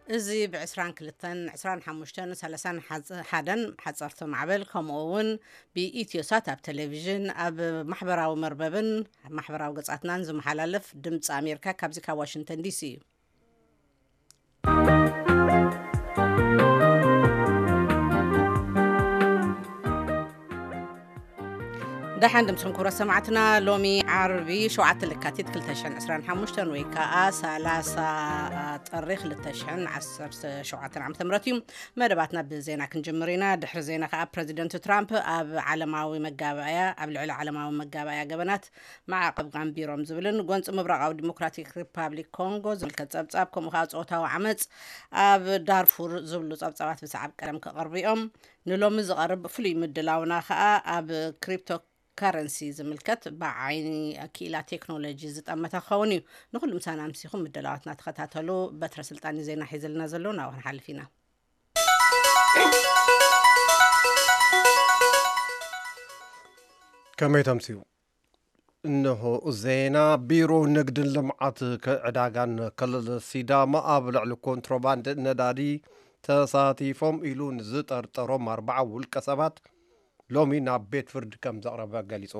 እዚ ብ22፣ 25፣ 31 ሓፀርቲ ማዕበል፣ ከምኡ እውን ብኢትዮሳት ኣብ ቴሌቪዥን፣ ኣብ ማሕበራዊ መርበብን ኣብ ማሕበራዊ ገጻትናን ዝመሓላለፍ ድምፂ ኣሜሪካ ካብዚ ካብ ዋሽንግተን ዲሲ እዩ። ደሓን ድምፅኹም ክቡራት ሰማዕትና። ሎሚ ዓርቢ ሸውዓተ ለካቲት ክልተ ሽሕን ዕስራን ሓሙሽተን ወይ ከዓ ሰላሳ ጥሪ ክልተ ሽሕን ዓሰርተ ሸውዓተን ዓመተ ምህረት እዩ። መደባትና ብዜና ክንጅምር ኢና። ድሕሪ ዜና ከዓ ፕረዚደንት ትራምፕ ኣብ ዓለማዊ መጋባእያ፣ ኣብ ልዕሊ ዓለማዊ መጋባእያ ገበናት ማዕቐብ ኣንቢሮም ዝብልን ጎንፂ ምብራቓዊ ዲሞክራቲክ ሪፓብሊክ ኮንጎ ዝምልከት ፀብፃብ፣ ከምኡ ከዓ ፆታዊ ዓመፅ ኣብ ዳርፉር ዝብሉ ፀብፃባት ብሰዓብ ቀደም ክቐርቡ እዮም። ንሎሚ ዝቐርብ ፍሉይ ምድላውና ከዓ ኣብ ክሪፕቶ ከረንሲ ዝምልከት ብዓይኒ ክኢላ ቴክኖሎጂ ዝጠመተ ክኸውን እዩ። ንኩሉ ምሳና ኣምሲኹም ምድላዋትና ተኸታተሉ። በትረ ስልጣን ዜና ሒዝልና ዘሎ፣ ናብኡ ክንሓልፍ ኢና። ከመይ ተምስዩ? እንሆ ዜና። ቢሮ ንግድን ልምዓት ከ-፣ ዕዳጋን ክልል ሲዳማ ኣብ ልዕሊ ኮንትሮባንድ ነዳዲ ተሳቲፎም ኢሉ ንዝጠርጠሮም ኣርባዓ ውልቀ ሰባት ሎሚ ናብ ቤት ፍርዲ ከም ዘቕረበ ገሊጹ።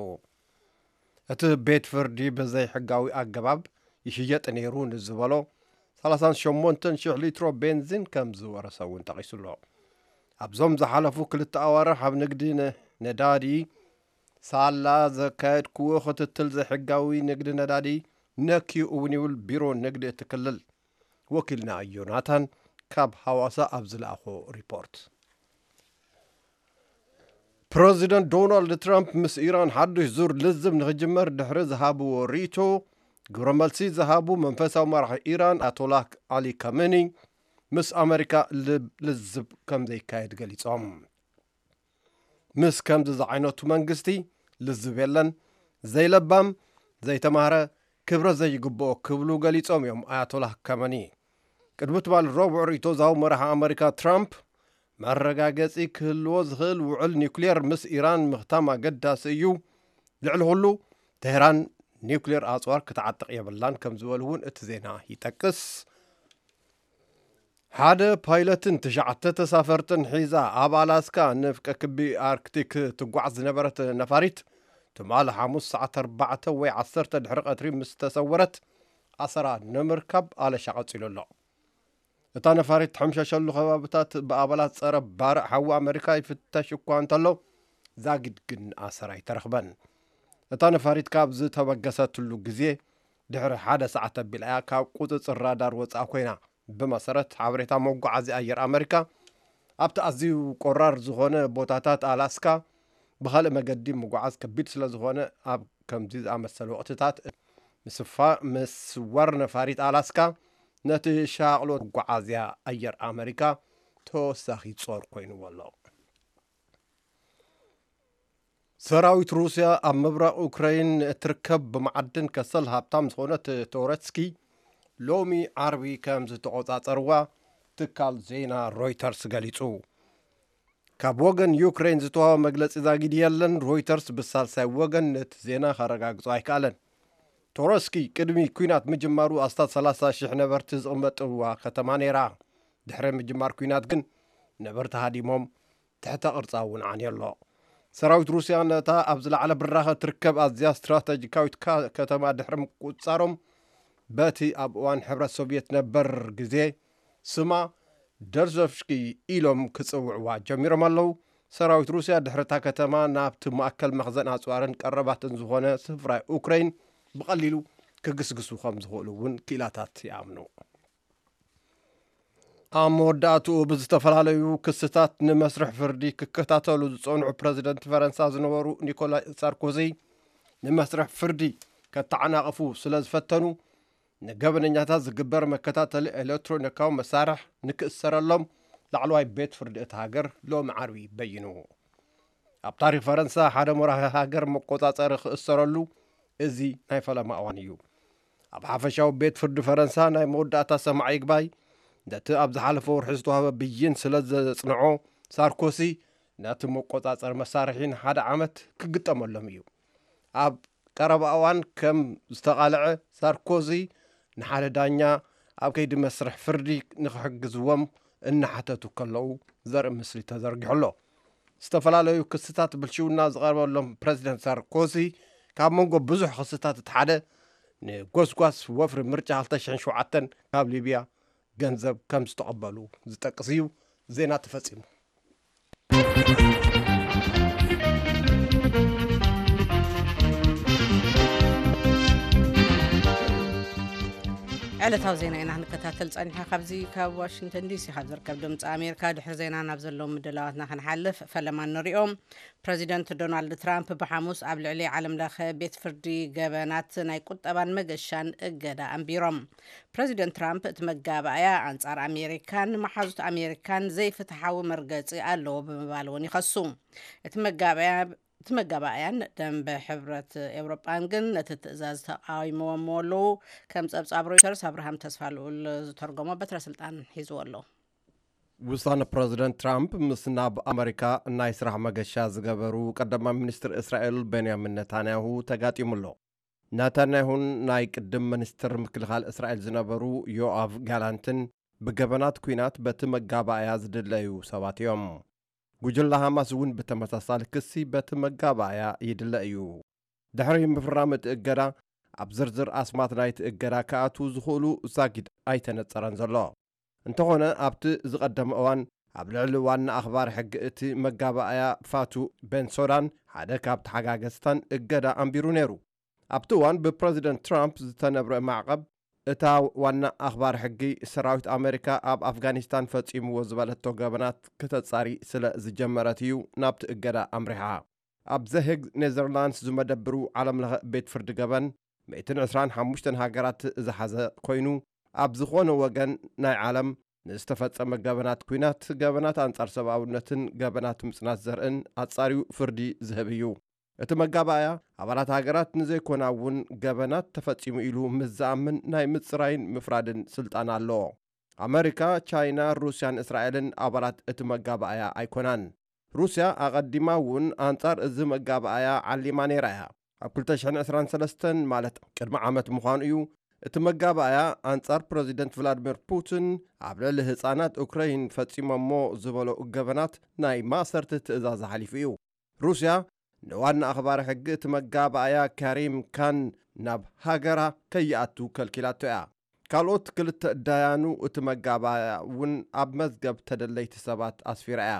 እቲ ቤት ፍርዲ ብዘይሕጋዊ ኣገባብ ይሽየጥ ነይሩ ንዝበሎ ሰላሳን ሸሞንተን ሽሕ ሊትሮ ቤንዚን ከም ዝወረሰ እውን ጠቒሱ ኣሎ። ኣብዞም ዝሓለፉ ክልተ ኣዋርሕ ኣብ ንግዲ ነ-፣ ነዳዲ ሳላ ዘካየድክዎ ክትትል ዘይሕጋዊ ንግዲ ነዳዲ ነክዩ እውን ይብል ቢሮ ንግዲ እቲ ክልል። ወኪልና ዮናታን ካብ ሃዋሳ ኣብ ዝለኣኾ ሪፖርት። ፕረዚደንት ዶናልድ ትራምፕ ምስ ኢራን ሓዱሽ ዙር ልዝብ ንኽጅመር ድሕሪ ዝሃብዎ ርእይቶ፣ ግብረ መልሲ ዝሃቡ መንፈሳዊ መራሒ ኢራን ኣያቶላህ ዓሊ ካሜኒ ምስ ኣመሪካ ል-፣ ልዝብ ከም ዘይካየድ ገሊጾም። ምስ ከምዚ ዝዓይነቱ መንግስቲ ልዝብ የለን፣ ዘይለባም፣ ዘይተማህረ፣ ክብረት ዘይግብኦ ክብሉ ገሊጾም እዮም ኣያቶላህ ካሜኒ። ቅድሚ ትማሊ ረቡዕ ርእይቶ ዝሃቡ መራሒ ኣመሪካ ትራምፕ፣ መረጋገጺ ክህልዎ ዝኽእል ውዕል ኒውክሌር ምስ ኢራን ምኽታም ኣገዳሲ እዩ፣ ልዕሊ ኩሉ ቴህራን ኒውክሌር ኣጽዋር ክትዓጥቕ የብላን ከም ዝበሉ እውን እቲ ዜና ይጠቅስ። ሓደ ፓይለትን ትሽዓተ ተሳፈርትን ሒዛ ኣብ ኣላስካ ንፍቀ ክቢ ኣርክቲክ ትጓዓዝ ዝነበረት ነፋሪት ትማሊ ሓሙስ ሰዓት ኣርባዕተ ወይ ዓሰርተ ድሕሪ ቀትሪ ምስ ተሰወረት ኣሰራ ንምርካብ ኣለሻ ቀጺሉ ኣሎ። እታ ነፋሪት ትሕምሸሸሉ ከባብታት ብኣባላት ጸረ ባርዕ ሓዊ ኣመሪካ ይፍተሽ እኳ እንተሎ፣ ዛጊድ ግን ኣሰር ኣይተረኽበን። እታ ነፋሪት ካብ ዝተበገሰትሉ ግዜ ድሕሪ ሓደ ሰዓት ኣቢላ እያ ካብ ቁጽጽር ራዳር ወጻኢ ኮይና፣ ብመሰረት ሓበሬታ መጓዓዝያ ኣየር ኣመሪካ። ኣብቲ ኣዝዩ ቆራር ዝኾነ ቦታታት ኣላስካ ብኻልእ መገዲ ምጉዓዝ ከቢድ ስለ ዝኾነ፣ ኣብ ከምዚ ዝኣመሰለ ወቕትታት ምስፋ-፣ ምስዋር ነፋሪት ኣላስካ ነቲ ሻቕሎት መጓዓዝያ ኣየር ኣመሪካ ተወሳኺ ጾር ኮይንዎ ኣሎ። ሰራዊት ሩስያ ኣብ ምብራቕ ዩክረይን እትርከብ ብመዓድን ከሰል ሃብታም ዝኾነት ቶረትስኪ ሎሚ ዓርቢ ከም ዝተቖጻጸርዋ ትካል ዜና ሮይተርስ ገሊጹ። ካብ ወገን ዩክረይን ዝተዋህበ መግለጺ ዛጊድ የለን። ሮይተርስ ብሳልሳይ ወገን ነቲ ዜና ከረጋግጾ ኣይከኣለን። ቶረስኪ ቅድሚ ኲናት ምጅማሩ ኣስታት ሰላሳ ሽሕ ነበርቲ ዝቕመጥዋ ከተማ ነይራ። ድሕሪ ምጅማር ኲናት ግን ነበርቲ ሃዲሞም፣ ትሕተ ቅርጻ እውን ዓንዮ ኣሎ። ሰራዊት ሩስያ ነታ ኣብ ዝለዓለ ብራኸ ትርከብ ኣዝያ ስትራተጂካዊት ካ-፣ ከተማ ድሕሪ ምቁጽጻሮም፣ በቲ ኣብ እዋን ሕብረት ሶቭየት ነበር ግዜ ስማ ደርዞፍስኪ ኢሎም ክጽውዕዋ ጀሚሮም ኣለዉ። ሰራዊት ሩስያ ድሕሪ እታ ከተማ ናብቲ ማእከል መኽዘን ኣጽዋርን ቀረባትን ዝኾነ ስፍራ ዩክረይን ብቐሊሉ ክግስግሱ ከም ዝኽእሉ እውን ክኢላታት ይኣምኑ። ኣብ መወዳእትኡ ብዝተፈላለዩ ክስታት ንመስርሕ ፍርዲ ክከታተሉ ዝጸንሑ ፕረዚደንት ፈረንሳ ዝነበሩ ኒኮላ ሳርኮዚ ንመስርሕ ፍርዲ ከተዓናቕፉ ስለ ዝፈተኑ፣ ንገበነኛታት ዝግበር መከታተሊ ኤሌክትሮኒካዊ መሳርሕ ንክእሰረሎም ላዕለዋይ ቤት ፍርዲ እታ ሃገር ሎሚ ዓርቢ በይኑ። ኣብ ታሪኽ ፈረንሳ ሓደ መራሒ ሃገር መቆጻጸሪ ክእሰረሉ እዚ ናይ ፈለማ እዋን እዩ። ኣብ ሓፈሻዊ ቤት ፍርዲ ፈረንሳ ናይ መወዳእታ ሰማዒ ይግባይ ነቲ ኣብ ዝሓለፈ ወርሒ ዝተዋህበ ብይን ስለ ዘጽንዖ፣ ሳርኮሲ ነቲ መቆጻጸሪ መሳርሒ ንሓደ ዓመት ክግጠመሎም እዩ። ኣብ ቀረባ እዋን ከም ዝተቓልዐ ሳርኮዚ ንሓደ ዳኛ ኣብ ከይዲ መስርሕ ፍርዲ ንክሕግዝዎም እናሓተቱ ከለዉ ዘርኢ ምስሊ ተዘርጊሑ ኣሎ። ዝተፈላለዩ ክስታት ብልሽውና ዝቐርበሎም ፕረዚደንት ሳርኮዚ፣ ካብ መንጎ ብዙሕ ክስታት እቲ ሓደ፣ ንጎስጓስ ወፍሪ ምርጫ ክልተ ሽሕን ሸውዓተን ካብ ሊብያ ገንዘብ ከም ዝተቐበሉ ዝጠቅስ እዩ። ዜና ተፈጺሙ። ዕለታዊ ዜና ኢና ክንከታተል ጸኒሐ። ካብዚ ካብ ዋሽንግተን ዲሲ ካብ ዝርከብ ድምፂ ኣሜሪካ፣ ድሕሪ ዜና ናብ ዘለዉ ምድላዋትና ክንሓልፍ፣ ፈለማ ንሪኦም። ፕረዚደንት ዶናልድ ትራምፕ ብሓሙስ ኣብ ልዕሊ ዓለም ለኸ ቤት ፍርዲ ገበናት ናይ ቁጠባን መገሻን እገዳ ኣንቢሮም። ፕረዚደንት ትራምፕ፣ እቲ መጋባእያ ኣንጻር ኣሜሪካን መሓዙት ኣሜሪካን ዘይፍትሓዊ መርገጺ ኣለዎ ብምባል እውን ይኸሱ። እቲ መጋባእያ እቲ መጋባእያን ደንበ ሕብረት ኤውሮጳን ግን ነቲ ትእዛዝ ተቃዊሞሞ ኣለዉ። ከም ጸብጻብ ሮይተርስ፣ ኣብርሃም ተስፋ ልኡል ዝተርጎሞ በትረ ስልጣን ሒዝዎ ኣሎ። ውሳነ ፕረዚደንት ትራምፕ ምስ ናብ ኣመሪካ ናይ ስራሕ መገሻ ዝገበሩ ቀዳማይ ሚኒስትር እስራኤል ቤንያሚን ነታንያሁ ተጋጢሙ ኣሎ። ነታንያሁን ናይ ቅድም ሚኒስትር ምክልኻል እስራኤል ዝነበሩ ዮኣቭ ጋላንትን ብገበናት ኲናት በቲ መጋባእያ ዝድለዩ ሰባት እዮም። ጉጅለ ሃማስ እውን ብተመሳሳሊ ክሲ በቲ መጋባእያ ይድለ እዩ። ድሕሪ ምፍራም እቲ እገዳ፣ ኣብ ዝርዝር ኣስማት ናይቲ እገዳ ክኣትዉ ዝኽእሉ ዛጊድ ኣይተነጸረን ዘሎ። እንተኾነ፣ ኣብቲ ዝቐደመ እዋን ኣብ ልዕሊ ዋና ኣኽባሪ ሕጊ እቲ መጋባእያ ፋቱ ቤንሶዳን ሓደ ካብ ተሓጋገዝታን እገዳ ኣንቢሩ ነይሩ። ኣብቲ እዋን ብፕረዚደንት ትራምፕ ዝተነብረ ማዕቐብ፣ እታ ዋና ኣኽባሪ ሕጊ ሰራዊት ኣመሪካ ኣብ ኣፍጋኒስታን ፈጺምዎ ዝበለቶ ገበናት ክተጻሪ ስለ ዝጀመረት እዩ ናብቲ እገዳ ኣምሪሓ። ኣብ ዘሄግ ኔዘርላንድስ ዝመደብሩ ዓለምለኸ ቤት ፍርዲ ገበን፣ ሚእትን ዕስራን ሓሙሽተን ሃገራት ዝሓዘ ኮይኑ፣ ኣብ ዝኾነ ወገን ናይ ዓለም ንዝተፈጸመ ገበናት ኲናት፣ ገበናት ኣንጻር ሰብኣውነትን ገበናት ምጽናት ዘርእን ኣጻርዩ ፍርዲ ዝህብ እዩ። እቲ መጋባእያ፣ ኣባላት ሃገራት ንዘይኮና እውን ገበናት ተፈጺሙ ኢሉ ምስ ዝኣምን ናይ ምጽራይን ምፍራድን ስልጣን ኣለዎ። ኣመሪካ፣ ቻይና፣ ሩስያን እስራኤልን ኣባላት እቲ መጋባእያ ኣይኮናን። ሩስያ ኣቐዲማ እውን ኣንጻር እዚ መጋባእያ ዓሊማ ነይራ እያ። ኣብ ክልተ ሽሕን ዕስራን ሰለስተን፣ ማለት ቅድሚ ዓመት ምዃኑ እዩ፣ እቲ መጋባእያ ኣንጻር ፕረዚደንት ቭላድሚር ፑቲን ኣብ ልዕሊ ህጻናት ኡክረይን ፈጺሞሞ ዝበሎ ገበናት ናይ ማእሰርቲ ትእዛዝ ኣሕሊፉ እዩ። ሩስያ ንዋና ኣኽባሪ ሕጊ እቲ መጋባእያ ካሪም ካን ናብ ሃገራ ከይኣቱ ከልኪላቶ እያ። ካልኦት ክልተ ዳያኑ እቲ መጋባእያ እውን ኣብ መዝገብ ተደለይቲ ሰባት ኣስፊራ እያ።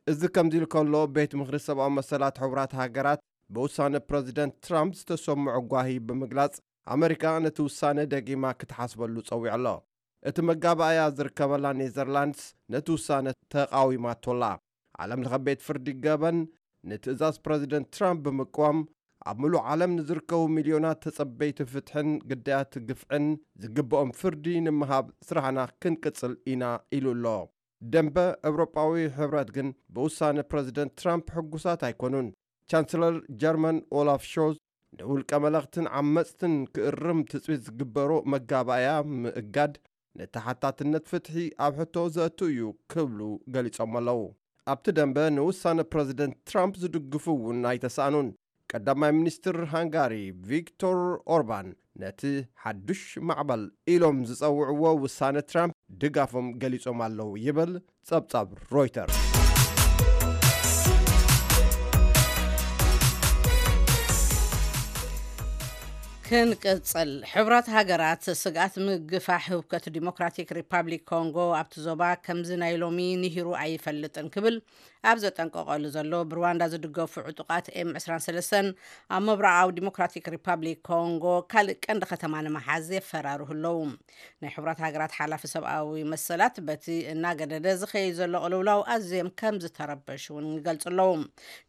እዚ ከምዚ ኢሉ ከሎ፣ ቤት ምኽሪ ሰብኣዊ መሰላት ሕቡራት ሃገራት ብውሳነ ፕረዚደንት ትራምፕ ዝተሰምዖ ጓሂ ብምግላጽ፣ ኣመሪካ ነቲ ውሳነ ደጊማ ክትሓስበሉ ጸዊዑ ኣሎ። እቲ መጋባእያ ዝርከበላ ኔዘርላንድስ ነቲ ውሳነ ተቓዊማቶ ኣላ። ዓለም ለኸ ቤት ፍርዲ ገበን ንትእዛዝ ፕረዚደንት ትራምፕ ብምቅዋም፣ ኣብ ምሉእ ዓለም ንዝርከቡ ሚልዮናት ተጸበይቲ ፍትሕን ግዳያት ግፍዕን ዝግብኦም ፍርዲ ንምሃብ ስራሕና ክንቅጽል ኢና ኢሉ ኣሎ። ደንበ ኤውሮጳዊ ሕብረት ግን ብውሳነ ፕረዚደንት ትራምፕ ሕጉሳት ኣይኮኑን። ቻንስለር ጀርመን ኦላፍ ሾዝ፣ ንውልቀ መለኽትን ዓመጽትን ክእርም ትጽቢት ዝግበሮ መጋባእያ ምእጋድ፣ ንተሓታትነት ፍትሒ ኣብ ሕቶ ዘእቱ እዩ ክብሉ ገሊጾም ኣለዉ። ኣብቲ ደንበ ንውሳነ ፕረዚደንት ትራምፕ ዝድግፉ እውን ኣይተሳእኑን። ቀዳማይ ሚኒስትር ሃንጋሪ ቪክቶር ኦርባን፣ ነቲ ሓዱሽ ማዕበል ኢሎም ዝጸውዕዎ ውሳነ ትራምፕ ድጋፎም ገሊጾም ኣለዉ ይብል ጸብጻብ ሮይተርስ። ክንቅጽል። ሕቡራት ሃገራት ስግኣት ምግፋሕ ህውከት ዲሞክራቲክ ሪፓብሊክ ኮንጎ ኣብቲ ዞባ ከምዚ ናይ ሎሚ ንሂሩ ኣይፈልጥን ክብል ኣብ ዘጠንቀቐሉ ዘሎ፣ ብሩዋንዳ ዝድገፉ ዕጡቓት ኤም ዕስራን ሰለስተን ኣብ ምብራቓዊ ዲሞክራቲክ ሪፓብሊክ ኮንጎ ካልእ ቀንዲ ከተማ ንምሓዝ የፈራርሁ ኣለዉ። ናይ ሕቡራት ሃገራት ሓላፊ ሰብኣዊ መሰላት፣ በቲ እናገደደ ዝኸይድ ዘሎ ቅልውላው ኣዝዮም ከም ዝተረበሹ እውን ይገልጹ ኣለዉ።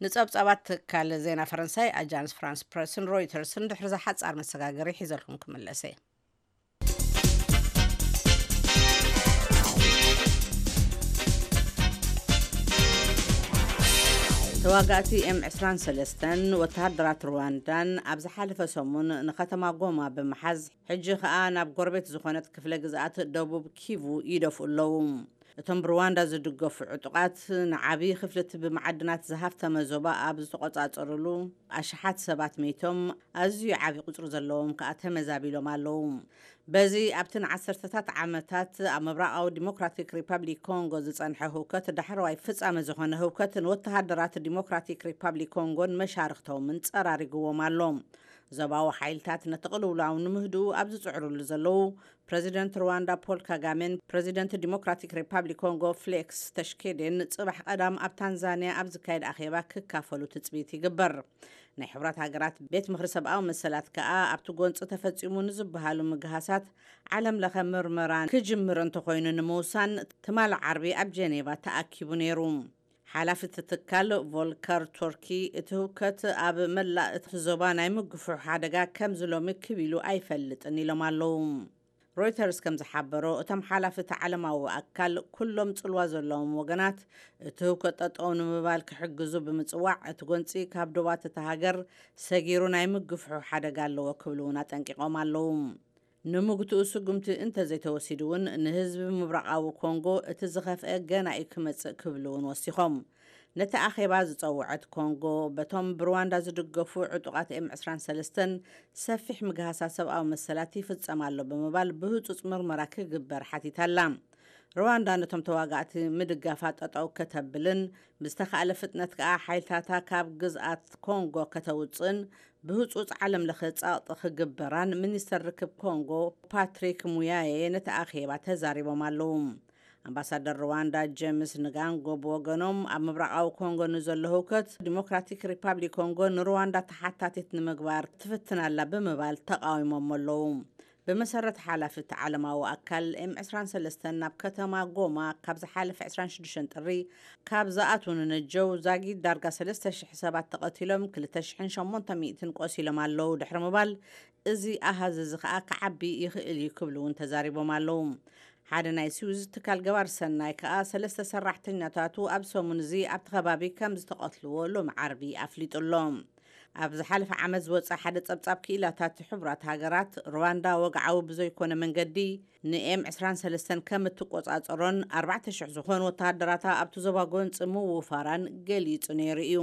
ንጸብጻባት ትካል ዜና ፈረንሳይ ኣጃንስ ፍራንስ ፕረስን ሮይተርስን ድሕሪ ዝሓጻር መሰጋገሪ ሒዘልኩም ክምለሰ። ተዋጋእቲ ኤም ዕስራን ሰለስተን ወተሃደራት ሩዋንዳን ኣብ ዝሓለፈ ሰሙን ንከተማ ጎማ ብምሓዝ፣ ሕጂ ከኣ ናብ ጎረቤት ዝኾነት ክፍለ ግዝኣት ደቡብ ኪቩ ይደፍኡ ኣለዉ። እቶም ብሩዋንዳ ዝድገፉ ዕጡቓት ንዓብዪ ክፍልቲ ብመዓድናት ዝሃፍተመ ዞባ ኣብ ዝተቖጻጸሩሉ ኣሽሓት ሰባት መይቶም፣ ኣዝዩ ዓብዪ ቁጽሪ ዘለዎም ከኣ ተመዛቢሎም ኣለዉ። በዚ ኣብቲ ንዓሰርተታት ዓመታት ኣብ ምብራቓዊ ዲሞክራቲክ ሪፓብሊክ ኮንጎ ዝጸንሐ ህውከት ዳሕረዋይ ፍጻመ ዝኾነ ህውከት ንወተሃደራት ዲሞክራቲክ ሪፓብሊክ ኮንጎን መሻርኽቶምን ጸራሪግዎም ኣሎ። ዞባዊ ሓይልታት ነቲ ቅልውላው ንምህድኡ ኣብ ዝጽዕሩሉ ዘለዉ፣ ፕረዚደንት ሩዋንዳ ፖል ካጋሜን ፕረዚደንት ዲሞክራቲክ ሪፓብሊክ ኮንጎ ፍሌክስ ተሽኬዴን ጽባሕ ቀዳም ኣብ ታንዛንያ ኣብ ዝካየድ ኣኼባ ክካፈሉ ትጽቢት ይግበር። ናይ ሕቡራት ሃገራት ቤት ምኽሪ ሰብኣዊ መሰላት ከኣ ኣብቲ ጎንጺ ተፈጺሙ ንዝበሃሉ ምግሃሳት ዓለም ለኸ ምርመራ ክጅምር እንተኾይኑ ንምውሳን ትማሊ ዓርቢ ኣብ ጀኔቫ ተኣኪቡ ነይሩ። ሓላፊ እቲ ትካል ቮልከር ቱርኪ፣ እቲ ህውከት ኣብ መላእ እቲ ዞባ ናይ ምግፍሑ ሓደጋ ከምዚ ሎሚ ክብ ኢሉ ኣይፈልጥን ኢሎም ኣለዉ። ሮይተርስ ከም ዝሓበሮ፣ እቶም ሓላፊ እቲ ዓለማዊ ኣካል ኩሎም ጽልዋ ዘለዎም ወገናት እቲ ህውከት ጠጠው ንምባል ክሕግዙ ብምጽዋዕ፣ እቲ ጎንጺ ካብ ዶባት እታ ሃገር ሰጊሩ ናይ ምግፍሑ ሓደጋ ኣለዎ ክብሉ እውን ኣጠንቂቖም ኣለዉ። ንምግትኡ ስጉምቲ እንተዘይተወሲዱ እውን ንህዝቢ ምብራቓዊ ኮንጎ እቲ ዝኸፍአ ገና እዩ ክመጽእ ክብሉ እውን ወሲኾም። ነቲ ኣኼባ ዝጸውዐት ኮንጎ በቶም ብሩዋንዳ ዝድገፉ ዕጡቓት ኤም ዕስራን ሰለስተን ሰፊሕ ምግሃሳ ሰብኣዊ መሰላት ይፍጸም ኣሎ ብምባል ብህጹጽ ምርመራ ክግበር ሓቲታ ኣላ። ሩዋንዳ ነቶም ተዋጋእቲ ምድጋፋ ጠጠው ከተብልን ብዝተኻእለ ፍጥነት ከኣ ሓይልታታ ካብ ግዝኣት ኮንጎ ከተውጽእን ብህጹጽ ዓለም ለኸ ጸቕጢ ክግበራን ሚኒስተር ርክብ ኮንጎ ፓትሪክ ሙያየ ነቲ ኣኼባ ተዛሪቦም ኣለዉ። ኣምባሳደር ሩዋንዳ ጀምስ ንጋንጎ ብወገኖም ኣብ ምብራቓዊ ኮንጎ ንዘሎ ህውከት ዲሞክራቲክ ሪፓብሊክ ኮንጎ ንሩዋንዳ ተሓታቲት ንምግባር ትፍትን ኣላ ብምባል ተቃዊሞም ኣለዉ። ብመሰረት ሓላፊ እቲ ዓለማዊ ኣካል ኤም ዕስራን ሰለስተን ናብ ከተማ ጎማ ካብ ዝሓለፈ ዕስራን ሽዱሽተን ጥሪ ካብ ዝኣትዉ ንነጀው ዛጊድ ዳርጋ ሰለስተ ሽሕ ሰባት ተቐቲሎም ክልተ ሽሕን ሸሞንተ ሚእትን ቆሲሎም ኣለዉ ድሕሪ ምባል፣ እዚ ኣሃዝ እዚ ከኣ ክዓቢ ይኽእል እዩ ክብሉ እውን ተዛሪቦም ኣለዉ። ሓደ ናይ ስዊዝ ትካል ገባር ሰናይ ከኣ ሰለስተ ሰራሕተኛታቱ ኣብ ሰሙን እዚ ኣብቲ ከባቢ ከም ዝተቐትልዎ ሎሚ ዓርቢ ኣፍሊጡ ኣሎ። ኣብ ዝሓለፈ ዓመት ዝወጸ ሓደ ጸብጻብ ክኢላታት ሕቡራት ሃገራት፣ ሩዋንዳ ወግዓዊ ብዘይኮነ መንገዲ ንኤም ዕስራን ሰለስተን ከም እትቆጻጸሮን ኣርባዕተ ሽሕ ዝኾኑ ወተሃደራታ ኣብቲ ዞባ ጎንጺ ምውፋራን ገሊጹ ነይሩ እዩ።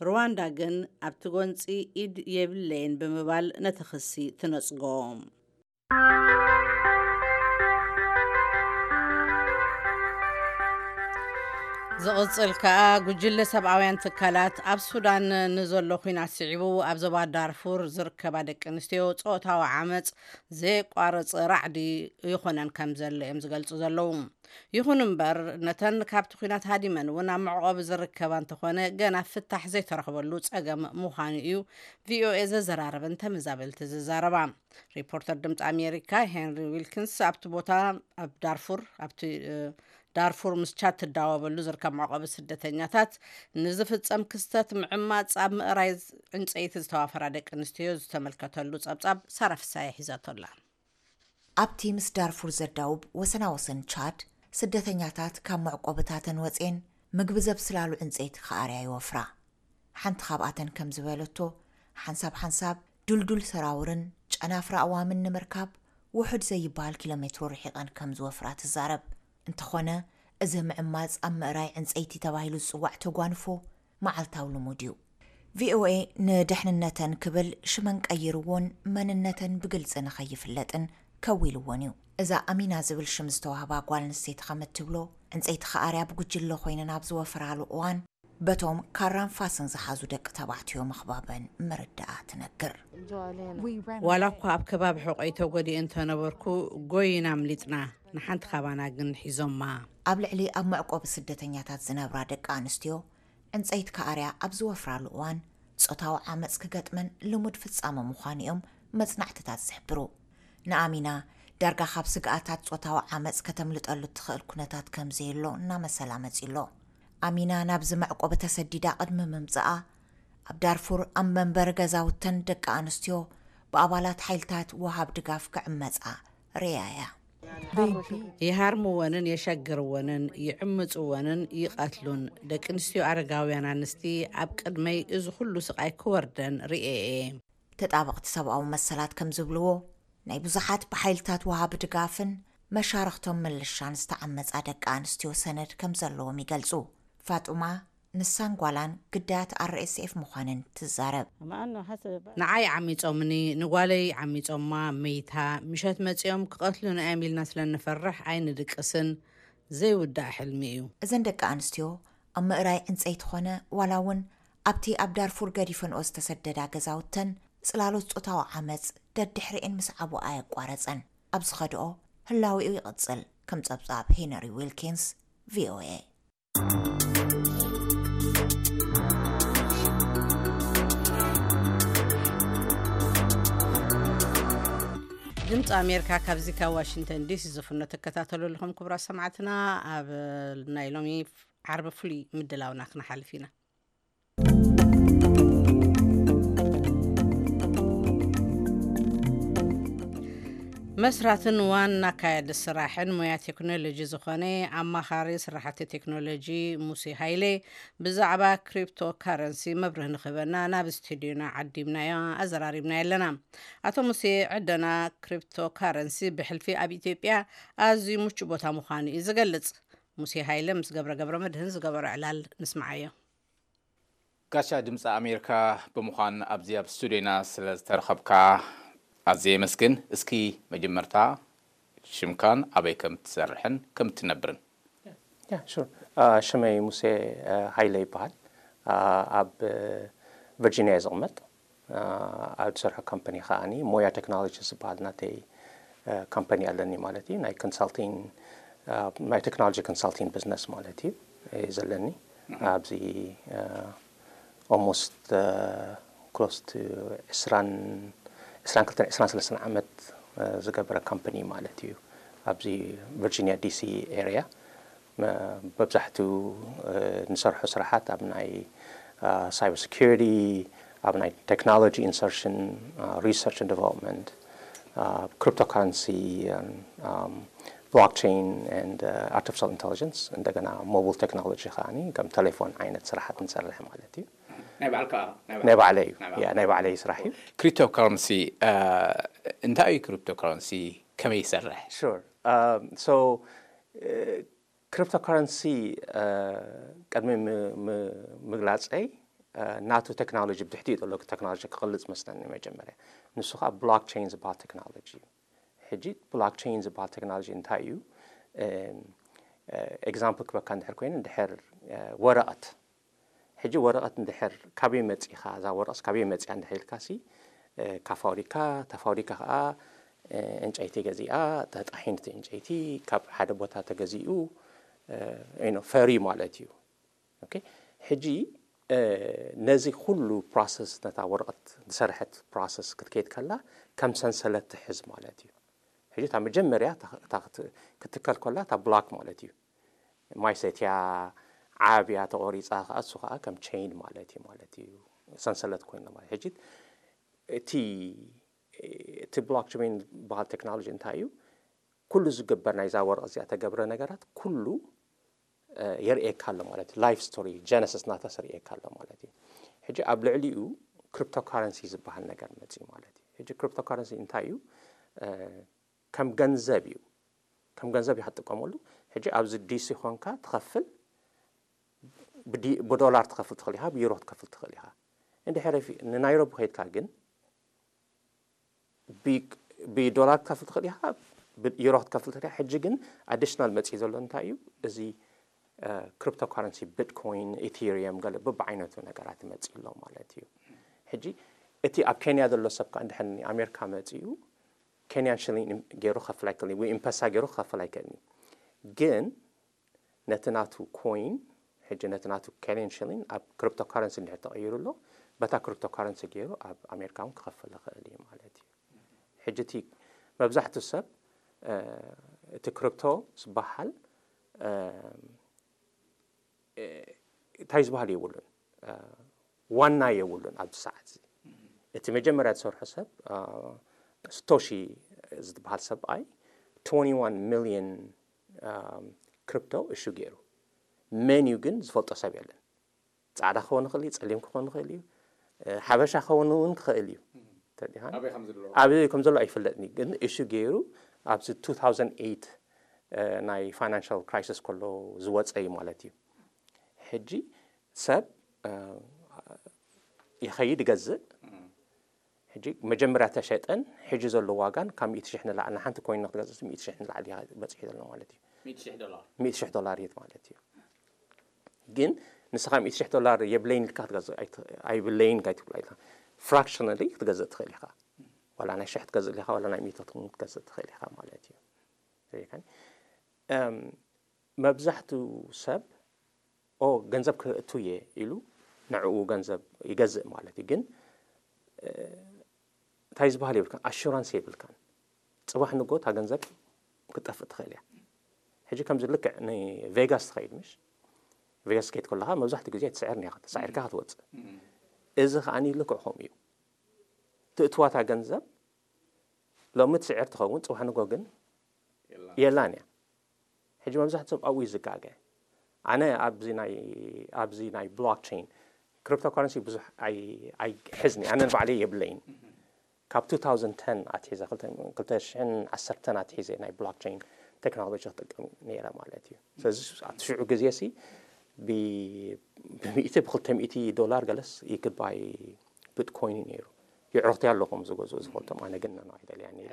ሩዋንዳ ግን ኣብቲ ጎንጺ ኢድ የብለይን ብምባል ነቲ ክሲ ትነጽጎ። ዝቕጽል ከኣ፣ ጉጅለ ሰብኣውያን ትካላት ኣብ ሱዳን ንዘሎ ኲናት ስዒቡ ኣብ ዞባ ዳርፉር ዝርከባ ደቂ ኣንስትዮ ጾታዊ ዓመጽ ዘየቋርጽ ራዕዲ ይኾነን ከም ዘሎ እዮም ዝገልጹ ዘለዉ። ይኹን እምበር፣ ነተን ካብቲ ኲናት ሃዲመን እውን ኣብ መዕቆቢ ዝርከባ እንተኾነ፣ ገና ፍታሕ ዘይተረኽበሉ ጸገም ምዃኑ እዩ ቪኦኤ ዘዘራረበን ተመዛበልቲ ዝዛረባ። ሪፖርተር ድምፂ ኣሜሪካ ሄንሪ ዊልኪንስ ኣብቲ ቦታ፣ ኣብ ዳርፉር፣ ኣብቲ ዳርፉር ምስ ቻድ ትዳወበሉ ዝርከብ መዕቆቢ ስደተኛታት ንዝፍጸም ክስተት ምዕማፅ ኣብ ምእራይ ዕንፀይቲ ዝተዋፈራ ደቂ ኣንስትዮ ዝተመልከተሉ ጸብጻብ ሳራ ፍሳየ ሒዛቶላ። ኣብቲ ምስ ዳርፉር ዘዳውብ ወሰናወሰን ቻድ፣ ስደተኛታት ካብ መዕቆብታተን ወፅኤን ምግቢ ዘብስላሉ ዕንፀይቲ ክኣርያ ይወፍራ። ሓንቲ ካብኣተን ከም ዝበለቶ፣ ሓንሳብ ሓንሳብ ድልዱል ሰራውርን ጨናፍራ ኣዋምን ንምርካብ ውሑድ ዘይበሃል ኪሎ ሜትሮ ርሒቐን ከም ዝወፍራ ትዛረብ። እንተኾነ፣ እዚ ምዕማጽ ኣብ ምእራይ ዕንጸይቲ ተባሂሉ ዝጽዋዕ ተጓንፎ መዓልታዊ ልሙድ እዩ። ቪኦኤ ንድሕንነተን ክብል ሽመን ቀይርዎን መንነተን ብግልጺ ንኸይፍለጥን ከዊልዎን እዩ። እዛ ኣሚና ዝብል ሽም ዝተዋህባ ጓል ኣንስተይቲ ከም እትብሎ፣ ዕንጸይቲ ክኣርያ ብጉጅለ ኮይነን ኣብ ዝወፍራሉ እዋን፣ በቶም ካራን ፋስን ዝሓዙ ደቂ ተባዕትዮ ምኽባበን ምርዳኣ ትነግር። ዋላ እኳ ኣብ ከባቢ ሕቆይ ተጎዲኤ እንተነበርኩ፣ ጎይና ኣምሊጥና፣ ንሓንቲ ካባና ግን ሒዞማ። ኣብ ልዕሊ ኣብ መዕቆቢ ስደተኛታት ዝነብራ ደቂ ኣንስትዮ፣ ዕንጸይቲ ክኣርያ ኣብ ዝወፍራሉ እዋን፣ ጾታዊ ዓመጽ ክገጥመን ልሙድ ፍጻመ ምዃኑ እዮም መጽናዕትታት ዝሕብሩ። ንኣሚና፣ ዳርጋ ካብ ስግኣታት ጾታዊ ዓመጽ ከተምልጠሉ እትኽእል ኩነታት ከም ዘየሎ እናመሰላ መጺኡ ኣሎ። ኣሚና ናብዚ መዕቆቢ ተሰዲዳ ቅድሚ ምምጽኣ፣ ኣብ ዳርፉር ኣብ መንበሪ ገዛውተን ደቂ ኣንስትዮ ብኣባላት ሓይልታት ወሃብ ድጋፍ ክዕመጻ ርእያ እያ። ይሃርምወንን የሸግርወንን፣ ይዕምጽወንን ይቐትሉን። ደቂ ኣንስትዮ ኣረጋውያን ኣንስቲ ኣብ ቅድመይ እዚ ኩሉ ስቓይ ክወርደን ርእየ እየ። ተጣበቕቲ ሰብኣዊ መሰላት ከም ዝብልዎ፣ ናይ ብዙሓት ብሓይልታት ወሃቢ ድጋፍን መሻርኽቶም ምልሻን ዝተዓመጻ ደቂ ኣንስትዮ ሰነድ ከም ዘለዎም ይገልጹ። ፋጡማ ንሳን ጓላን ግዳያት ኣር ኤስ ኤፍ ምዃነን ትዛረብ። ንዓይ ዓሚጾምኒ፣ ንጓለይ ዓሚጾማ፣ መይታ። ምሸት መጺኦም ክቐትሉና እዮም ኢልና ስለ ንፈርሕ ኣይንድቅስን። ዘይውዳእ ሕልሚ እዩ። እዘን ደቂ ኣንስትዮ ኣብ ምእራይ ዕንጸይቲ ኾነ ዋላ እውን ኣብቲ ኣብ ዳርፉር ገዲፈንኦ ዝተሰደዳ ገዛውተን ጽላሎት ጾታዊ ዓመጽ ደድሕሪኤን ምስዓቡ ኣየቋረጸን። ኣብ ዝኸድኦ ህላዊኡ ይቕጽል። ከም ጸብጻብ ሄነሪ ዊልኪንስ፣ ቪኦኤ። ድምፂ ኣሜሪካ ካብዚ ካብ ዋሽንግተን ዲሲ ዝፍኖ ትከታተሉ ኣለኹም። ክቡራት ሰማዕትና፣ ኣብ ናይ ሎሚ ዓርቢ ፍሉይ ምድላውና ክንሓልፍ ኢና። መስራትን ዋና ኣካያዲ ስራሕን ሞያ ቴክኖሎጂ ዝኾነ ኣማኻሪ ስራሕቲ ቴክኖሎጂ ሙሴ ሃይለ ብዛዕባ ክሪፕቶ ካረንሲ መብርህ ንክህበና ናብ ስቱዲዮና ዓዲምናዮ፣ ኣዘራሪብናዮ ኣለና። ኣቶ ሙሴ፣ ዕደና ክሪፕቶ ካረንሲ ብሕልፊ ኣብ ኢትዮጵያ ኣዝዩ ምቹእ ቦታ ምዃኑ እዩ ዝገልጽ። ሙሴ ሃይለ ምስ ገብረ ገብረ መድህን ዝገበሮ ዕላል ንስምዓዮ። ጋሻ ድምፂ ኣሜሪካ ብምዃን ኣብዚ ኣብ ስቱዲዮና ስለ ዝተረኸብካ ኣዝየ የመስግን። እስኪ መጀመርታ ሽምካን ኣበይ ከም ትሰርሕን ከም ትነብርን። ያ ሹር። ሽመይ ሙሴ ሃይለ ይበሃል። ኣብ ቨርጂኒያ እየ ዝቕመጥ። ኣብ ዝሰርሖ ካምፓኒ ከዓኒ ሞያ ቴክኖሎጂ ዝበሃል ናተይ ካምፓኒ ኣለኒ ማለት እዩ። ናይ ኮንሳልቲንግ ናይ ቴክኖሎጂ ኮንሳልቲንግ ቢዝነስ ማለት እዩ እዩ ዘለኒ። ኣብዚ almost close to ዕስራን ዕስራን ክልተን ዕስራን ሰለስተን ዓመት ዝገበረ ካምፓኒ ማለት እዩ። ኣብዚ ቨርጂኒያ ዲሲ ኤሪያ መብዛሕትኡ ንሰርሖ ስራሓት ኣብ ናይ ሳይበር ሴኩሪቲ፣ ኣብ ናይ ቴክኖሎጂ ኢንሰርሽን፣ ሪሰርች ን ዲቨሎፕመንት፣ ክሪፕቶካረንሲ፣ ብሎክቸይን ን ኣርቲፊሻል ኢንቴሊጀንስ፣ እንደገና ሞባይል ቴክኖሎጂ ከዓኒ ከም ቴሌፎን ዓይነት ስራሓት ንሰርሕ ማለት እዩ። ናይ ባዕልካ ናይ ባዕለይ እዩ። ያ ናይ ባዕለይ ስራሕ እዩ። ክሪፕቶካረንሲ እንታይ እዩ? ክሪፕቶካረንሲ ከመይ ይሰርሕ? ሹር። ሶ ክሪፕቶካረንሲ ቅድሚ ምግላፀይ ናቱ ቴክኖሎጂ ብትሕቲኡ ዘሎ ቴክኖሎጂ ክገልፅ መስለኒ መጀመርያ። ንሱ ከዓ ብሎክቸይን ዝበሃል ቴክኖሎጂ እዩ። ሕጂ ብሎክቸይን ዝበሃል ቴክኖሎጂ እንታይ እዩ? ኤግዛምፕል ክበካ እንድሕር ኮይኑ እንድሕር ወረቐት ሕጂ ወረቐት እንድሕር ካበይ መፂኻ እዛ ወረቐት ካበይ መፂኣ እንድሕር ኢልካ ሲ ካብ ፋብሪካ እታ ፋብሪካ ከዓ ዕንጨይቲ ገዚኣ ተጣሒንቲ ዕንጨይቲ ካብ ሓደ ቦታ ተገዚኡ ፈርዩ ማለት እዩ። ሕጂ ነዚ ኩሉ ፕሮሰስ ነታ ወረቐት ዝሰርሐት ፕሮሰስ ክትከይድ ከላ ከም ሰንሰለት ትሕዝ ማለት እዩ። ሕጂ እታ መጀመርያ ክትትከል ከላ እታ ብሎክ ማለት እዩ። ማይ ሰትያ ዓብያ ተቆሪፃ ከዓ እሱ ከዓ ከም ቸይን ማለት እዩ ማለት እዩ ሰንሰለት ኮይኑ ማለት ሕጂ እቲ እቲ ብሎክቸይን ዝበሃል ቴክኖሎጂ እንታይ እዩ? ኩሉ ዝግበር ናይዛ ወረቐት እዚኣ ተገብረ ነገራት ኩሉ የርእየካ ኣሎ ማለት እዩ። ላይፍ ስቶሪ ጀነሲስ ናታስ የርእየካ ኣሎ ማለት እዩ። ሕጂ ኣብ ልዕሊኡ ክሪፕቶካረንሲ ዝበሃል ነገር መፅዩ ማለት እዩ። ሕጂ ክሪፕቶካረንሲ እንታይ እዩ? ከም ገንዘብ እዩ። ከም ገንዘብ ኢኻ ትጥቀመሉ። ሕጂ ኣብዚ ዲሲ ኾንካ ትኸፍል ብዶላር ትኸፍል ትኽእል ኢኻ፣ ብዩሮ ክትከፍል ትኽእል ኢኻ። እንድሕር ንናይሮቢ ከይድካ ግን ብዶላር ክትከፍል ትኽእል ኢኻ፣ ብዩሮ ክትከፍል ትኽእል ኢኻ። ሕጂ ግን ኣዲሽናል መፅዩ ዘሎ እንታይ እዩ? እዚ ክሪፕቶካረንሲ ቢትኮይን፣ ኢቴሪየም ገለ በብዓይነቱ ነገራት ይመፅእ ኣሎ ማለት እዩ። ሕጂ እቲ ኣብ ኬንያ ዘሎ ሰብ ከዓ እንድሕር ኣሜሪካ መፅኡ ኬንያን ሽሊን ገይሩ ክኸፍል ኣይክእልን ወይ ኤምፐሳ ገይሩ ክኸፍል ኣይክእልን እዩ። ግን ነቲ ናቱ ኮይን ሕጂ ነቲ ናቱ ኬንያን ሽሊን ኣብ ክሪፕቶካረንሲ እንድሕር ተቐይሩ ኣሎ በታ ክሪፕቶካረንሲ ገይሩ ኣብ ኣሜሪካ እውን ክኸፍል ይኽእል እዩ ማለት እዩ። ሕጂ እቲ መብዛሕትኡ ሰብ እቲ ክሪፕቶ ዝበሃል እንታይ ዝበሃል የብሉን፣ ዋና የብሉን ኣብዚ ሰዓት እዚ። እቲ መጀመርያ ዝሰርሖ ሰብ ስቶሺ ዝበሃል ሰብኣይ ሚልዮን ክሪፕቶ እሹ ገይሩ። መን እዩ ግን ዝፈልጦ ሰብ የለን። ፃዕዳ ክኸውን ይኽእል እዩ፣ ፀሊም ክኸውን ይኽእል እዩ፣ ሓበሻ ክኸውን እውን ክኽእል እዩ። ኣበይ ከም ዘሎ ኣይፍለጥን እዩ። ግን እሹ ገይሩ ኣብዚ ቱ ታውዘንድ ኤይት ናይ ፋይናንሻል ክራይሲስ ከሎ ዝወፀ እዩ ማለት እዩ። ሕጂ ሰብ ይኸይድ ይገዝእ። ሕጂ መጀመርያ ተሸጠን ሕጂ ዘሎ ዋጋን ካብ ሚእቲ ሽሕ ንላዕሊ፣ ንሓንቲ ኮይን ክትገዝእ ሚእቲ ሽሕ ንላዕሊ በፂሑ ዘሎ ማለት እዩ። ሚእቲ ሽሕ ዶላር ማለት እዩ። ግን ንስኻ ሚእቲ ሽሕ ዶላር የብለይን ኢልካ ክትገዝእ ኣይብለይን ኢልካ ኣይትብሎ ኢልካ፣ ፍራክሽናሊ ክትገዝእ ትኽእል ኢኻ። ዋላ ናይ ሽሕ ክትገዝእ ኢኻ፣ ዋላ ናይ ሚእቲ ክትገዝእ ትኽእል ኢኻ ማለት እዩ። መብዛሕትኡ ሰብ ኦ ገንዘብ ክእቱ እየ ኢሉ ንዕኡ ገንዘብ ይገዝእ ማለት እዩ። ግን እንታይ ዝበሃል የብልካን፣ ኣሹራንስ የብልካን። ፅባሕ ንጎ እታ ገንዘብ ክትጠፍእ ትኽእል እያ። ሕጂ ከምዚ ልክዕ ንቬጋስ ትኸይድ ምሽ፣ ቬጋስ ከይድ ከለኻ መብዛሕትኡ ግዜ ትስዕር ኒኻ፣ ተሳዒርካ ክትወፅእ። እዚ ከዓኒ ልክዕ ከምኡ እዩ። ትእትዋታ ገንዘብ ሎሚ ትስዕር ትኸውን፣ ፅባሕ ንጎ ግን የላን እያ። ሕጂ መብዛሕትኡ ሰብ ኣብኡ እዩ ዝጋገ። ኣነ ኣብዚ ናይ ኣብዚ ናይ ብሎክቸይን ክሪፕቶ ካረንሲ ብዙሕ ኣይሕዝኒ፣ ኣነ ንባዕለይ የብለይን። ካብ two thousand ten ኣትሒዘ፣ ክልተ ሽሕን ዓሰርተን ኣትሒዘ ናይ ብሎክቸይን ቴክኖሎጂ ክጥቀም ነይረ ማለት እዩ። ስለዚ ኣብቲ ሽዑ ግዜ ሲ ብሚእቲ ብክልተ ሚእቲ ዶላር ገለስ ይግባይ ብትኮይን እዩ ነይሩ። የዕሩኽቲ ኣለኹም ዝገዝኡ ዝፈልጦም፣ ኣነ ግን ነው ኣይደልያን እየ።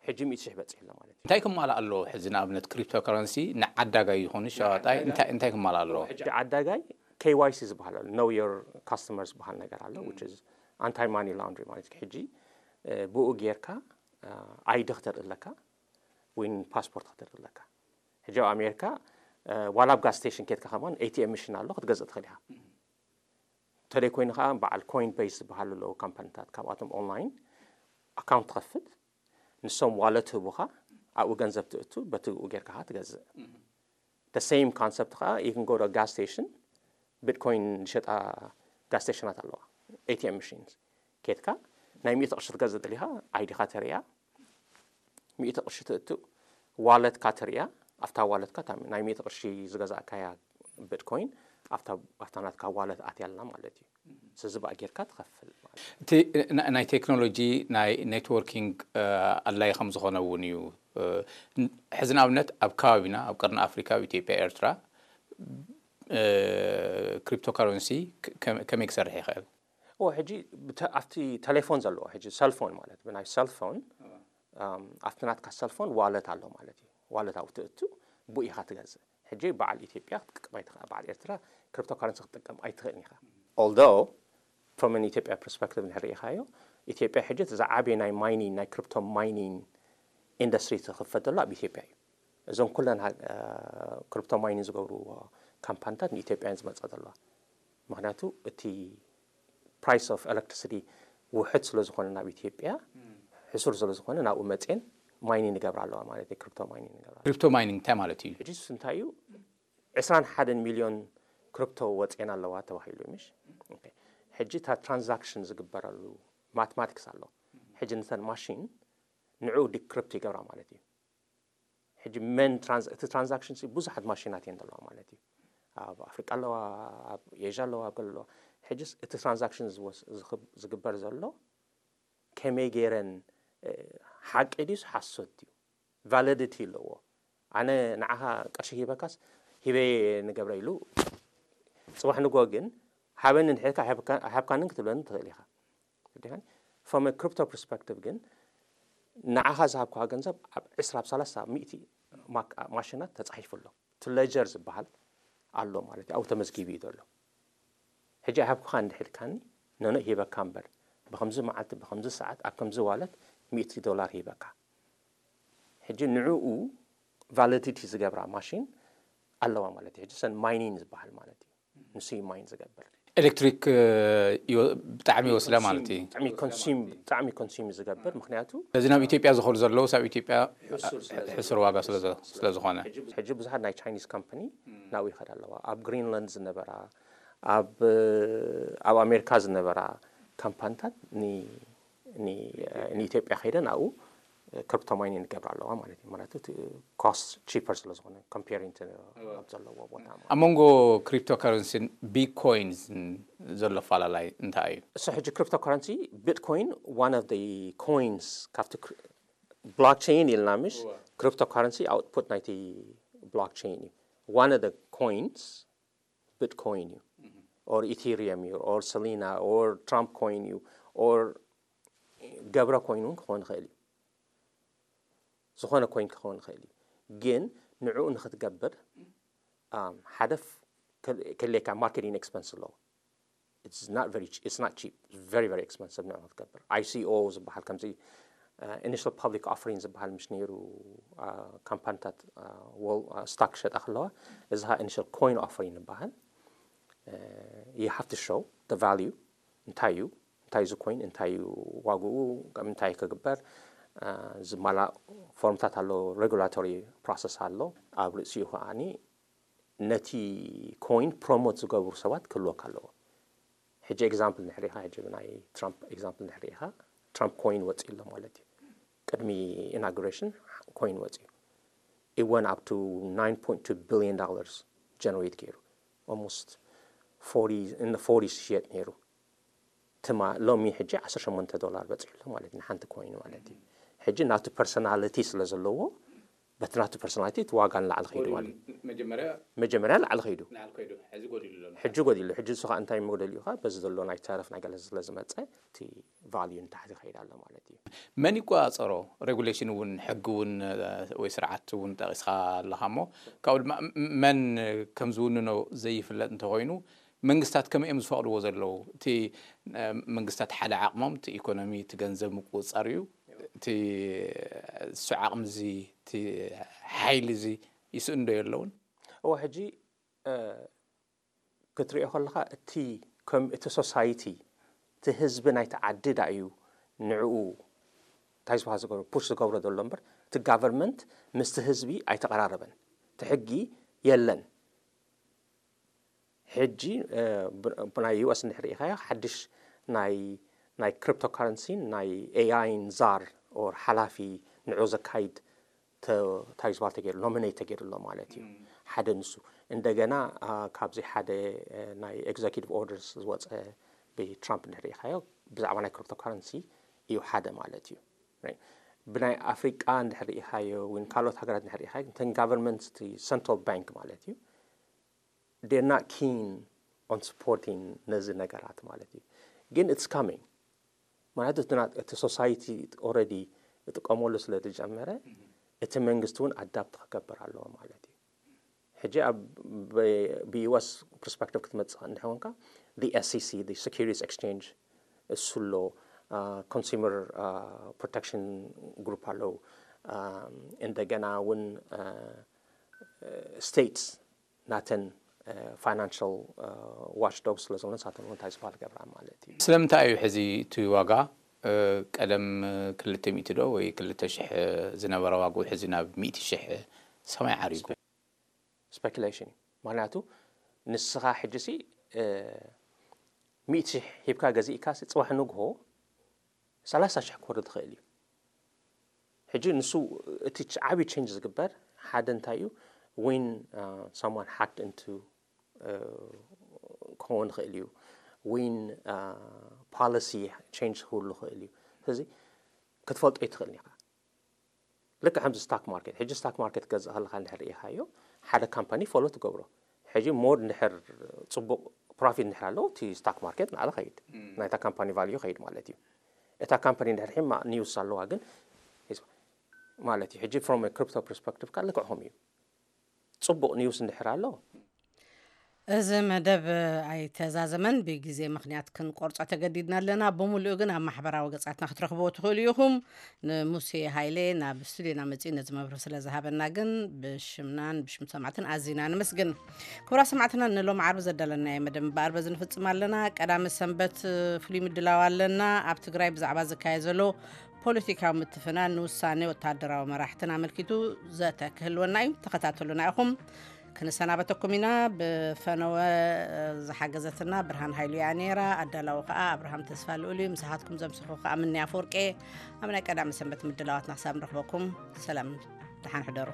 ሕጂ ሚእቲ ሽሕ በፂሑ ኣሎ ማለት እዩ። እንታይ ክማላእ ኣለዎ? ሕዚ ንኣብነት ክሪፕቶ ከረንሲ ንዓዳጋይ ይኹን ሸዋጣይ እንታይ እንታይ ክማላእ ኣለዎ? ሕጂ ዓዳጋይ ኬዋይሲ ዝበሃል ኣሎ፣ know your customer ዝበሃል ነገር ኣሎ፣ which is anti money laundering ማለት እዩ። ሕጂ ብኡ ጌርካ ኣይዲ ክተርኢ ኣለካ ወይ ፓስፖርት ክተርኢ ኣለካ። ሕጂ ኣብ ኣሜሪካ ዋላ ኣብ ጋስ ስቴሽን ኬድካ ከማን ኤቲኤም ምሽን ኣሎ ክትገዝእ ትኽእል ኢኻ። ተለይ ኮይኑ ከዓ በዓል ኮይን ቤስ ዝበሃሉ ኣለዉ ካምፓኒታት፣ ካብኣቶም ኦንላይን ኣካውንት ትኸፍት፣ ንሶም ዋለት ህቡኻ፣ ኣብኡ ገንዘብ ትእቱ፣ በቲ ጌርካ ከዓ ትገዝእ። The same concept ከዓ you can go to gas station፣ ቢትኮይን ዝሸጣ ጋስ ስቴሽናት ኣለዋ፣ ኤቲኤም ምሽንስ። ኬድካ ናይ ሚእቲ ቅርሺ ትገዝእ ደሊኻ፣ ኣይዲኻ ተሪያ፣ ሚእቲ ቅርሺ ትእቱ፣ ዋለትካ ትሪያ፣ ኣብታ ዋለትካ እታ ናይ ሚእቲ ቅርሺ ዝገዛእካያ ቢትኮይን ኣብታ ኣብታ ናትካ ዋለት ኣትያ ኣላ ማለት እዩ። ስለዚ ብኣ ጌርካ ትኸፍል ማለት እዩ። እቲ ና- ናይ ቴክኖሎጂ ናይ ኔትወርኪንግ ኣድላይ ከም ዝኾነ እውን እዩ። ሕዚ ንኣብነት ኣብ ከባቢና ኣብ ቀርኒ ኣፍሪካ ኣብ ኢትዮጵያ ኤርትራ ክሪፕቶ ካረንሲ ከመይ ክሰርሕ ይኽእል? ኦ ሕጂ ኣብቲ ቴሌፎን ዘለዎ ሕጂ ሰልፎን ማለት ብናይ ሰልፎን ኣብቲ ናትካ ሰልፎን ዋለት ኣሎ ማለት እዩ። ዋለት ኣብኡ ትእቱ ብኡ ኢኻ ትገዝእ። ሕጂ በዓል ኢትዮጵያ ክትጥቀም ኣይትኽእል፣ በዓል ኤርትራ ክሪፕቶ ካረንሲ ክትጥቀም ኣይትኽእልን ኢኻ። Although from an ኢትዮጵያ ፐርስፐክቲቭ እንድሕር ርኢኻዮ፣ ኢትዮጵያ ሕጂ እቲ ዝዓበየ ናይ ማይኒንግ ናይ ክሪፕቶ ማይኒንግ ኢንዱስትሪ ትኽፈት ዘሎ ኣብ ኢትዮጵያ እዩ። እዞም ኩለን ክሪፕቶ ማይኒንግ ዝገብርዎ ካምፓኒታት ንኢትዮጵያ እየን ዝመፃ ዘለዋ። ምክንያቱ እቲ ፕራይስ ኦፍ ኤሌክትሪሲቲ ውሕድ ስለ ዝኾነ ናብ ኢትዮጵያ ሕሱር ስለ ዝኾነ ናብኡ መፅየን ማይኒንግ ይገብራ ኣለዋ ማለት እዩ። ክሪፕቶ ማይኒንግ ይገብራ ኣለዋ። ክሪፕቶ ማይኒንግ እንታይ ማለት እዩ? ሕጂስ እንታይ እዩ? ዕስራን ሓደን ሚልዮን ክሪፕቶ ወፅየን ኣለዋ ተባሂሉ ምሽ። ሕጂ እታ ትራንዛክሽን ዝግበረሉ ማትማቲክስ ኣሎ። ሕጂ ንተን ማሽን ንዕኡ ዲክሪፕት ይገብራ ማለት እዩ። ሕጂ መን እቲ ትራንዛክሽን ብዙሓት ማሽናት እየን ዘለዋ ማለት እዩ። ኣብ ኣፍሪቃ ኣለዋ፣ ኣብ ኤዥያ ኣለዋ፣ ኣብ ገለ ኣለዋ። ሕጂስ እቲ ትራንዛክሽን ዝግበር ዘሎ ከመይ ገይረን ሓቂ ድዩስ ሓሶት ድዩ ቫሊዲቲ ኣለዎ። ኣነ ንዓኻ ቅርሺ ሂበካስ ሂበ ንገብረ ኢሉ ፅባሕ ንጎ ግን ሃበኒ እንድሕልካ ኣይሃብካንን ክትብለኒ ትኽእል ኢኻ። ዲኻ? From a crypto perspective ግን ንዓኻ ዝሃብኩኻ ገንዘብ ኣብ ዕስራ ኣብ ሰላሳ ኣብ ሚእቲ ማሽናት ተፃሒፉ ኣሎ። እቲ ሌጀር ዝበሃል ኣሎ ማለት እዩ። ኣብኡ ተመዝጊቡ እዩ ዘሎ። ሕጂ ኣይሃብኩኻ እንድሕልካኒ ነነ ሂበካ እምበር ብከምዚ መዓልቲ ብከምዚ ሰዓት ኣብ ከምዚ ዋለት ሚእቲ ዶላር ሂበካ። ሕጂ ንዕኡ ቫሊዲቲ ዝገብራ ማሽን ኣለዋ ማለት እዩ። ሕጂ ሰን ማይኒን ዝበሃል ማለት እዩ። ንሱ እዩ ማይን ዝገብር። ኤሌክትሪክ ብጣዕሚ ይወስዳ ማለት እዩ። ብጣዕሚ ኮንሱም ዝገብር ምክንያቱ እዚ ናብ ኢትዮጵያ ዝኸዱ ዘለዉ ኣብ ኢትዮጵያ ሕሱር ዋጋ ስለ ዝኾነ ሕጂ ብዙሓት ናይ ቻይኒዝ ካምፓኒ ናብኡ ይኸዳ ኣለዋ። ኣብ ግሪንላንድ ዝነበራ ኣብ ኣብ ኣሜሪካ ዝነበራ ካምፓኒታት ንኢትዮጵያ ከይደን ኣብኡ ክሪፕቶ ማይኒንግ ይገብራ ኣለዋ ማለት እዩ። ማለት ኮስት ቺፐር ስለ ዝኾነ ኮምፔሪንግ ኣብ ዘለዎ ቦታ ማለት እዩ። ኣብ መንጎ ክሪፕቶ ከረንሲን ቢትኮይን ዘሎ ኣፈላላይ እንታይ እዩ? እሱ ሕጂ ክሪፕቶ ከረንሲ ቢትኮይን one of the ኮይንስ ካብቲ ብሎክቸይን ኢልና ምሽ Cryptocurrency output ናይቲ blockchain እዩ። One of the coins Bitcoin እዩ, or Ethereum እዩ, or Solana, or Trump coin እዩ, or ገብረ ኮይን እውን ክኾን ይኽእል እዩ። ዝኾነ ኮይን ክኾን ይኽእል እዩ። ግን ንዕኡ ንክትገብር ሓደ ከሌካ marketing expense ኣለዎ። It's not very it's not cheap. Very very expensive ንዕኡ ክትገብር። I C O ዝበሃል ከምዚ initial public offering ዝበሃል ምሽ ነይሩ። ካምፓኒታት stock ክሸጣ ከለዋ፣ እዚ initial coin offering ይበሃል። You have to show the value፣ እንታይ እዩ እንታይ እዩ እዚ ኮይን፣ እንታይ እዩ ዋግኡ፣ እንታይ ክግበር ዝማላ ፎርምታት ኣሎ፣ regulatory process ኣሎ። ኣብ ርእሲኡ ከዓኒ ነቲ ኮይን ፕሮሞት ዝገብሩ ሰባት ክህልወካ ኣለዎ። ሕጂ example ንሕሪኻ ሕጂ ብናይ ትራምፕ example ንሕሪኻ ትራምፕ ኮይን ወፂኡ ኣሎ ማለት እዩ። ቅድሚ inauguration ኮይን ወፂኡ it went up to nine point two billion dollars generate ገይሩ almost forty in the forties ይሸጥ ነይሩ። ትማ ሎሚ ሕጂ ዓሰርተ ሸሞንተ ዶላር በፂሑ ኣሎ ማለት እዩ ንሓንቲ ኮይን ማለት እዩ። ሕጂ ናቱ personality ስለ ዘለዎ በቲ ናቱ personality እቲ ዋጋ ንላዕሊ ከይዱ ማለት እዩ። መጀመርያ መጀመርያ ላዕሊ ከይዱ ላዕሊ ከይዱ ሕጂ ጎዲሉ ኣሎ። ሕጂ ጎዲሉ ሕጂ ንሱ ከዓ እንታይ መጉደል እዩ ከዓ በዚ ዘሎ ናይ ተረፍ ናይ ገለ ስለ ዝመፀ እቲ value ንታሕቲ ይኸይድ ኣሎ ማለት እዩ። መን ይቆፃፀሮ? Regulation እውን ሕጊ እውን ወይ ስርዓት እውን ጠቂስካ ኣለካ እሞ ካብኡ ድማ መን ከም ዝውንኖ ዘይፍለጥ እንተኮይኑ መንግስታት ከመይ እዮም ዝፈቅድዎ ዘለዉ? እቲ መንግስታት ሓደ ዓቅሞም እቲ ኢኮኖሚ እቲ ገንዘብ ምቁፅፃር እዩ። እቲ እሱ ዓቅሚ እዚ እቲ ሓይሊ እዚ ይስእንዶ የለውን? እወ ሕጂ ክትሪኦ ከለካ እቲ ከም እቲ society እቲ ህዝቢ ናይቲ ዓዲ ዳ እዩ ንዕኡ እንታይ ዝበሃል ዝገብሮ push ዝገብሮ ዘሎ እምበር እቲ government ምስቲ ህዝቢ ኣይተቀራረበን። እቲ ሕጊ የለን። ሕጂ ብናይ U S እንድሕር ርኢኻዮ ሓድሽ ናይ ናይ cryptocurrency ን ናይ A I ን ዛር or ሓላፊ ንዑ ዘካይድ እንታይ ዝበሃል ተገይሩ nominate ተገይሩ ኣሎ ማለት እዩ። ሓደ ንሱ እንደገና ካብዚ ሓደ ናይ executive orders ዝወፀ ብትራምፕ እንድሕር ርኢኻዮ ብዛዕባ ናይ cryptocurrency እዩ ሓደ ማለት እዩ። ብናይ ኣፍሪቃ እንድሕር ርኢኻዮ ወይ ካልኦት ሃገራት እንድሕር ርኢኻዮ እተን government central bank ማለት እዩ they're not keen on supporting ነዚ ነገራት ማለት እዩ። ግን it's coming ማለት እቲ society already እጥቀመሉ ስለ ዝጀመረ እቲ መንግስቲ እውን adapt ክገብር ኣለዎ ማለት እዩ። ሕጂ ኣብ ብ U S perspective ክትመፅእ እንድሕር ኮንካ the S E C the Securities Exchange እሱ ኣሎ፣ consumer protection group ኣለዉ፣ እንደገና እውን states ናተን financial watchdog ስለ ዝኾነ ንሳተን እውን እንታይ ዝበሃል ገብራ ማለት እዩ። ስለምንታይ እዩ ሕዚ እቲ ዋጋ ቀደም ክልተ ሚእቲ ዶ ወይ ክልተ ሽሕ ዝነበረ ዋግኡ ሕዚ ናብ ሚእቲ ሽሕ ሰማይ ዓሪጉ? Speculation እዩ። ምክንያቱ ንስኻ ሕጂ ሲ ሚእቲ ሽሕ ሂብካ ገዚእካ ሲ ፅባሕ ንግሆ ሰላሳ ሽሕ ክወርድ ይኽእል እዩ። ሕጂ ንሱ እቲ ዓብዪ change ዝግበር ሓደ እንታይ እዩ when someone hacked into ክኸውን ይኽእል እዩ። When policy change ክህሉ ይኽእል እዩ። ስለዚ ክትፈልጦ ኣይትኽእልን ኢኻ። ልክዕ ከምዚ stock market ሕጂ stock market ክትገዝእ ከለካ እንድሕር ርኢኻዮ ሓደ company follow ትገብሮ። ሕጂ more እንድሕር ፅቡቅ profit እንድሕር ኣለዎ እቲ stock market ንዓለ ኸይድ ናይታ company value ኸይድ ማለት እዩ። እታ company እንድሕር ሒማ news ኣለዋ ግን ማለት እዩ። ሕጂ from crypto perspective ካ ልክዕኹም እዩ። ፅቡቅ news እንድሕር ኣሎ እዚ መደብ ኣይተዛዘመን፣ ብግዜ ምኽንያት ክንቆርጾ ተገዲድና ኣለና። ብምሉኡ ግን ኣብ ማሕበራዊ ገጻትና ክትረኽብዎ ትኽእሉ ኢኹም። ንሙሴ ሃይለ ናብ ስቱዲዮና መጺኡ ነዚ መብርሂ ስለ ዝሃበና ግን ብሽምናን ብሽም ሰማዕትን ኣዚና ነመስግን። ክቡራት ሰማዕትና ንሎም ዓርቢ ዘዳለናዮ መደብ እምበኣር በዚ ንፍጽም ኣለና። ቀዳሚ ሰንበት ፍሉይ ምድላው ኣለና። ኣብ ትግራይ ብዛዕባ ዝካየድ ዘሎ ፖለቲካዊ ምትፍናን ንውሳኔ ወታደራዊ መራሕትን ኣመልኪቱ ዘተ ክህልወና እዩ። ተኸታተሉና ኢኹም። ክንሰናበተኩም ኢና። ብፈነወ ዝሓገዘትና ብርሃን ሃይሉ እያ ነይራ። ኣዳላዊ ከዓ ኣብርሃም ተስፋ ልኡል እዩ። ምሳኻትኩም ዘምሰኹ ከዓ ምንያ ኣፈወርቄ። ኣብ ናይ ቀዳሚ ሰንበት ምድላዋትና ክሳብ ንረኽበኩም ሰላም ደሓን ሕደሩ።